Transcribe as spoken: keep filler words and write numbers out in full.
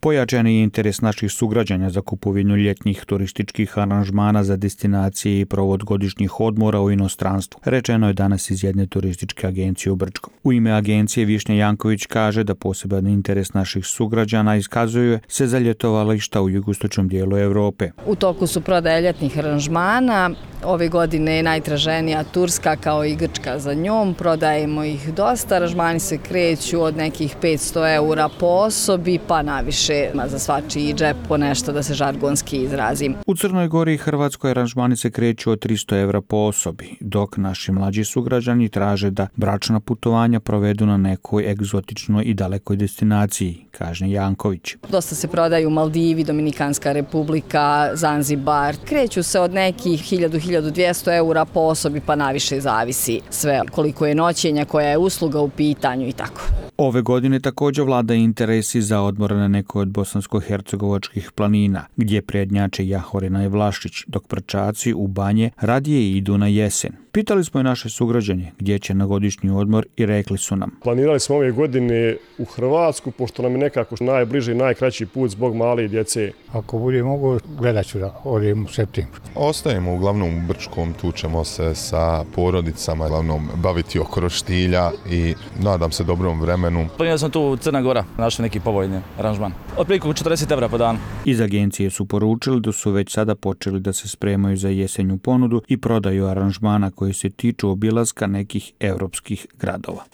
Pojačani je interes naših sugrađana za kupovinu ljetnih turističkih aranžmana za destinacije i provod godišnjih odmora u inostranstvu, rečeno je danas iz jedne turističke agencije u Brčkom. U ime agencije Višnja Janković kaže da poseban interes naših sugrađana iskazuje se za ljetovališta u jugoistočnom dijelu Europe. U toku su prodaje ljetnih aranžmana. Ove godine je najtraženija Turska kao i Grčka za njom. Prodajemo ih dosta. Aranžmani se kreću od nekih petsto eura po osobi pa naviše za svačiji džep po nešto, da se žargonski izrazim. U Crnoj Gori i Hrvatskoj aranžmani se kreću od tristo eura po osobi, dok naši mlađi sugrađani traže da bračna putovanja provedu na nekoj egzotičnoj i dalekoj destinaciji, kaže Janković. Dosta se prodaju Maldivi, Dominikanska republika, Zanzibar. Kreću se od nekih hiljadu do hiljadu dvjesto eura po osobi pa naviše zavisi sve koliko je noćenja, koja je usluga u pitanju i tako. Ove godine također vlada interesi za odmor na nekoj od bosansko-hercegovačkih planina, gdje prednjače Jahorina i Vlašić, dok Prčaci u Banje radije idu na jesen. Pitali smo i naše sugrađane gdje će na godišnji odmor i rekli su nam. Planirali smo ove godine u Hrvatsku, pošto nam je nekako najbliži i najkraći put zbog male djece. Ako bude mogu, gledat ću da odem u septembru. Ostajemo uglavnom u Brčkom, tu ćemo se sa porodicama uglavnom baviti oko roštilja i nadam se dobrom vremenu. Planirali sam tu Crna Gora, našli neki povoljni aranžman. Otprilike četrdeset evra po danu. Iz agencije su poručili da su već sada počeli da se spremaju za jesenju ponudu i prodaju aranžmana koji se tiču obilaska nekih europskih gradova.